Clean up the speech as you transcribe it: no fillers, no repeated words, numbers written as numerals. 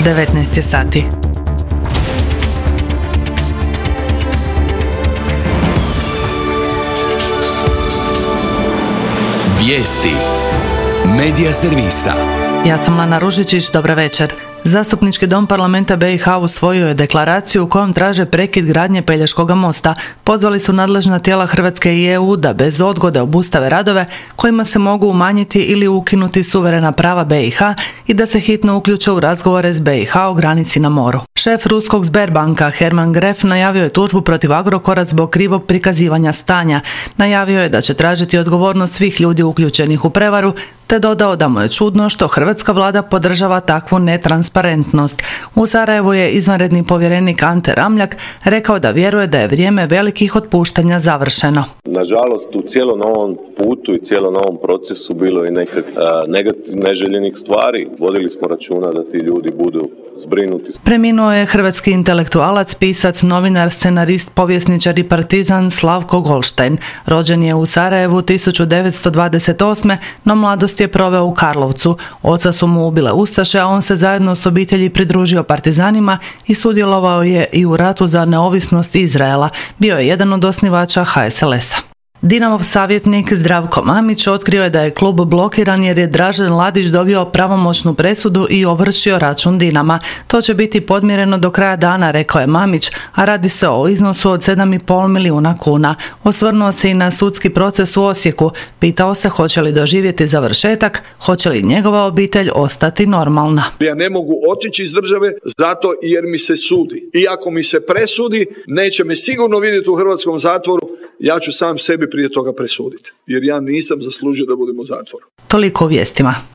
19 je sati. Vijesti Medija servisa. Ja sam Lana Ružičić, dobra večer. Zastupnički dom parlamenta BiH usvojio je deklaraciju u kojom traže prekid gradnje Pelješkog mosta. Pozvali su nadležna tijela Hrvatske i EU da bez odgode obustave radove kojima se mogu umanjiti ili ukinuti suverena prava BiH i da se hitno uključe u razgovore s BiH o granici na moru. Šef ruskog Sberbanka Herman Gref najavio je tužbu protiv Agrokora zbog krivog prikazivanja stanja. Najavio je da će tražiti odgovornost svih ljudi uključenih u prevaru, te dodao da mu je čudno što hrvatska vlada podržava takvu netransparentnost. U Sarajevu je izvanredni povjerenik Ante Ramljak rekao da vjeruje da je vrijeme velikih otpuštanja završeno. Nažalost, u cijelom ovom putu i cijelom ovom procesu bilo je neželjenih stvari. Vodili smo računa da ti ljudi budu zbrinuti. Preminuo je hrvatski intelektualac, pisac, novinar, scenarist, povjesničar i partizan Slavko Golštajn. Rođen je u Sarajevu 1928. no mladost je proveo u Karlovcu. Oca su mu ubile ustaše, a on se zajedno s obitelji pridružio partizanima i sudjelovao je i u ratu za neovisnost Izraela. Bio je jedan od osnivača HSLS-a. Dinamov savjetnik Zdravko Mamić otkrio je da je klub blokiran jer je Dražen Ladić dobio pravomoćnu presudu i ovršio račun Dinama. To će biti podmireno do kraja dana, rekao je Mamić, a radi se o iznosu od 7,5 milijuna kuna. Osvrnuo se i na sudski proces u Osijeku. Pitao se hoće li doživjeti završetak, hoće li njegova obitelj ostati normalna. Ja ne mogu otići iz države zato jer mi se sudi. I ako mi se presudi, neće me sigurno vidjeti u hrvatskom zatvoru. Ja ću sam sebi prije toga presuditi, jer ja nisam zaslužio da budem u zatvoru. Toliko u vijestima.